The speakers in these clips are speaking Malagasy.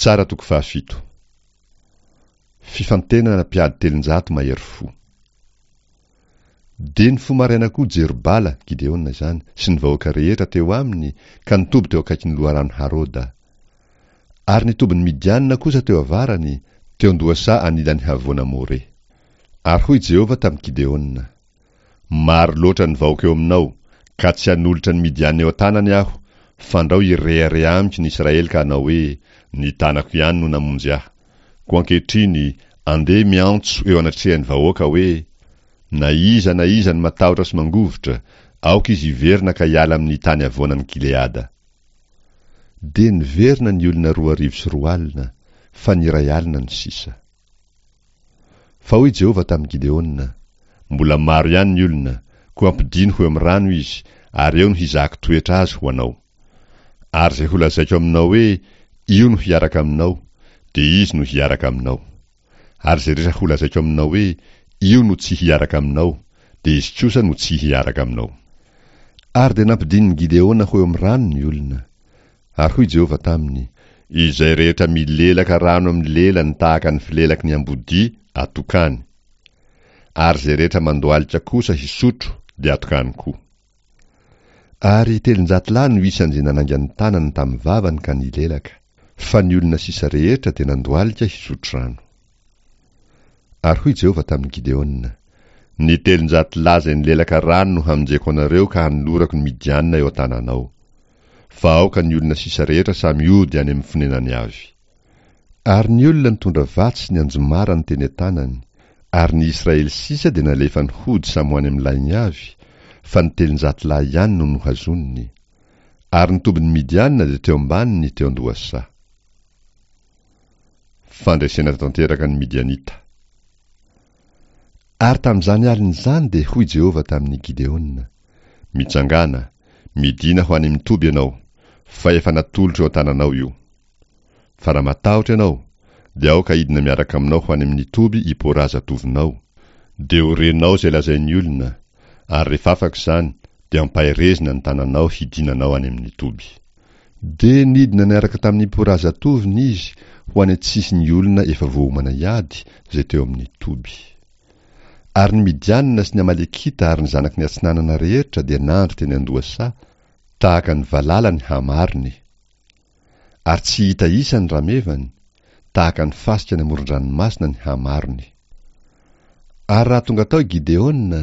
Mpitsara toko fahafito. Fifantenana mpiady 300 mahery fo. Dia nifoha maraina koa Jerobala, Gideona izany, sy ny vahoaka rehetra teo aminy ka nitoby teo akaikin'ny loharano Haroda. Ary ny tobin'ny Midianina kosa teo avarany, teo an-dohasaha anilan'ny havoana More. Ary hoy Jehovah tamin'i Gideona, Maro loatra ny vahoaka eo aminao, ka tsy hanolotra ny Midianina eo an-tanany aho, fandrao hirehareha amiko ny Israely ka hanao hoe, Ny tanako ihany no namonjy ahy. Koa ankehitriny, andeha miantso eo anatrehan'ny vahoaka hoe, Na iza na iza no matahotra sy mangovitra, aoka izy hiverina ka hiala amin'ny tany havoanan'i Gileada. Dia niverina ny olona 2002, fa ny 1000 no sisa. Fa hoy Jehovah tamin'i Gideona, Mbola maro ihany ny olona, koa ampidino ho eo amin'ny rano izy, ary eo no hizahako toetra azy ho anao. Ary izay holazaiko aminao hoe, Io no hiaraka aminao, dia izy no hiaraka aminao. Ary izay rehetra holazaiko aminao hoe, Io no tsy hiaraka aminao, dia izy kosa no tsy hiaraka aminao. Ary dia nampidinin'i Gideona ho eo amin'ny rano ny olona. Ary hoy Jehovah taminy, Izay rehetra milelaka rano amin'ny lelany tahaka ny filelaky ny ambodia, atokany. Ary izay rehetra mandohalika kosa hisotro, dia atokany koa. Ary 300 lahy no isan'izay nanainga ny tanany tamin'ny vavany ka nilelaka, fa ny olona sisa rehetra dia nandohalika hisotro rano. Ary hoy Jehovah tamin'i Gideona, Ny 300 lahy izay nilelaka rano no hamonjeko anareo ka hanolorako ny Midianina eo an-tananao. Fa aoka ny olona sisa rehetra samy hody any amin'ny fonenany avy. Ary ny olona nitondra vatsy sy ny anjomarany teny an-tanany, ary ny Israely sisa dia nalefany hody samy ho any amin'ny lainy avy, fa ny 300 lahy ihany no nohazoniny. Ary ny tobin'ny Midianina dia teo ambaniny teo an-dohasaha. Fandresena tanteraka ny Midianita. Ary tamin'izany alina izany dia hoy Jehovah tamin'i Gideona, Mitsangàna, midìna ho any amin'ny toby ianao, fa efa natolotro eo an-tananao io. Fa raha matahotra ianao, dia aoka hidina miaraka aminao ho any amin'ny toby i Porà zatovonao, dia ho renao izay lazain'ny olona, ary rehefa afaka izany, dia ampaherezina ny tananao hidinanao any amin'ny toby. Dia nidina niaraka tamin'i Porà zatovony izy ho any an-tsisin'ny olona efa voaomana hiady izay teo amin'ny toby. Ary ny Midianina sy ny Amalekita ary ny zanaky ny atsinanana rehetra dia nandry teny an-dohasaha, tahaka ny valala ny hamarony. Ary tsy hita isa ny ramevany, tahaka ny fasika any amoron-dranomasina ny hamarony. Ary raha tonga tao i Gideona,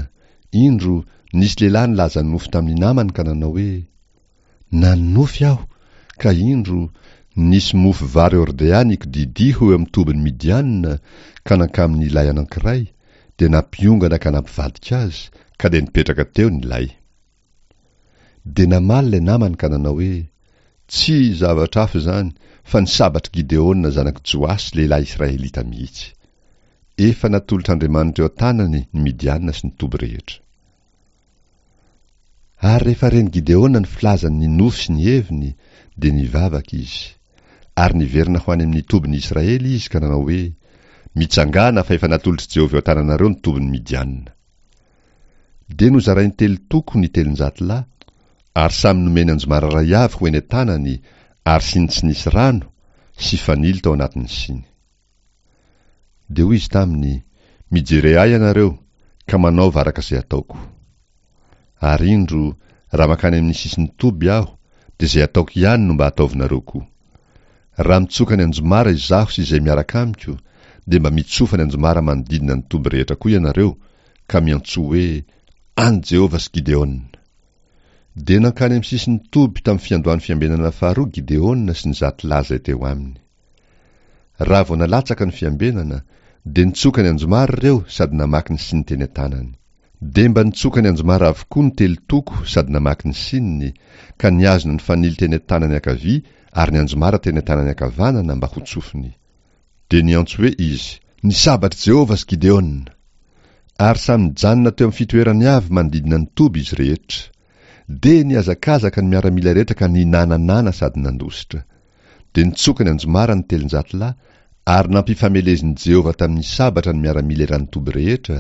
indro, nisy lehilahy nilaza nofy tamin'ny namany ka nanao hoe, Nanonofy aho, ka indro, nisy mofo vary hordea nikodidia ho eo amin'ny tobin'ny Midianina, ka nankamin'ny lay anankiray, dia nampiongana ka nampivadika azy, ka dia nipetraka teo ny lay. Dia namaly ilay namany ka nanao hoe, Tsy zavatra hafa izany, fa ny sabatr'i Gideona zanak'i Joasy lehilahy Israelita mihitsy. Efa natolotr'Andriamanitra eo an-tanany ny Midianina sy ny toby rehetra. Ary rehefa ren'i Gideona ny filazany ny nofy sy ny heviny, dia nivavaka izy. Ary niverina ho any amin'ny tobin'ny Israely izy ka nanao hoe, Mitsangàna, fa efa natolotr'i Jehovah eo an-tananareo ny tobin'ny Midianina. Dia nozarainy telo toko ny 300 lahy, ary samy nomeny anjomara iray avy ho eny an-tanany, ary siny tsy nisy rano, sy fanilo tao anatin'ny siny. Dia hoy izy taminy, Mijere ahy ianareo, ka manaova araka izay ataoko. Ary indro, raha mankany amin'ny sisin'ny toby aho, dia izay ataoko ihany no mba ataovinareo koa. Raha mitsoka ny anjomara izaho sy izay miaraka amiko, dia mba mitsofa ny anjomara manodidina ny toby rehetra koa ianareo, ka miantsoa hoe, An'i Jehovah sy Gideona! Dia nankany amin'ny sisin'ny toby tamin'ny fiandohan'ny fiambenana faharoa Gideona sy ny zato lahy izay teo aminy. Raha vao nalatsaka ny fiambenana, dia nitsoka ny anjomara ireo sady namaky ny siny teny an-tanany. Dia mba nitsoka ny anjomara avokoa ny telo toko sady namaky ny sininy, ka nihazona ny fanilo teny an-tanany ankavia ary ny anjomara teny an-tanany ankavanana mba hotsofiny. Dia niantso hoe izy, Ny sabatr'i Jehovah sy Gideona! Ary samy nijanona teo amin'ny fitoerany avy manodidina ny toby izy rehetra. Dia nihazakazaka ny miaramila rehetra ka ninananana sady nandositra. Dia nitsoka ny anjomara ny 300 lahy, ary nampifamelezin'i Jehovah tamin'ny sabatra ny miaramila eran'ny toby rehetra,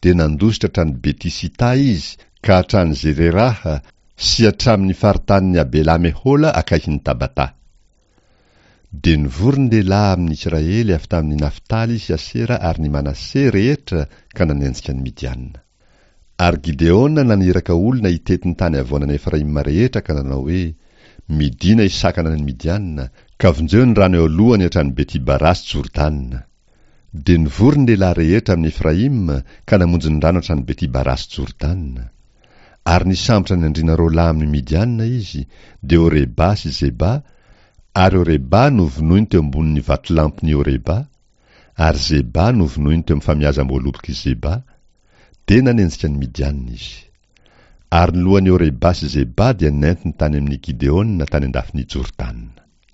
dia nandositra hatrany Beti-sità izy ka hatrany Zereraha sy hatramin'ny faritanin'i Abela-mehola akaikin'i Tabatà. Dia nivory ny lehilahy amin' ny Isiraely avy tamin' i Naftaly sy Asera ary ny Manase rehetra ka nanenjika ny Midiana. Ary Gideona naniraka olona hitety ny tany havoanan' Efraima rehetra ka nanao hoe, Midìna hisakana ny Midiana, ka vonjeo ny rano eo alohany hatrany Beti-Bara sy Jordana. Dia nivory ny lehilahy rehetra amin' Efraima ka namonjy ny rano hatrany Beti-Bara sy Jordana. Ary nisambotra ny andriana roalahy amin' ny Midiana izy, dia Oreba sy Zeba, ary Oreba novonoiny teo ambonin' ny vatolampin' i Oreba, ary Zeba novonoiny teo amin' ny famiazam-boalobok' i Zeba, dia nanenjika ny Midiana izy. Ary ny lohan' i Oreba sy Zeba dia nentiny tany amin' i Gideona tany an-dafin' i Jordana.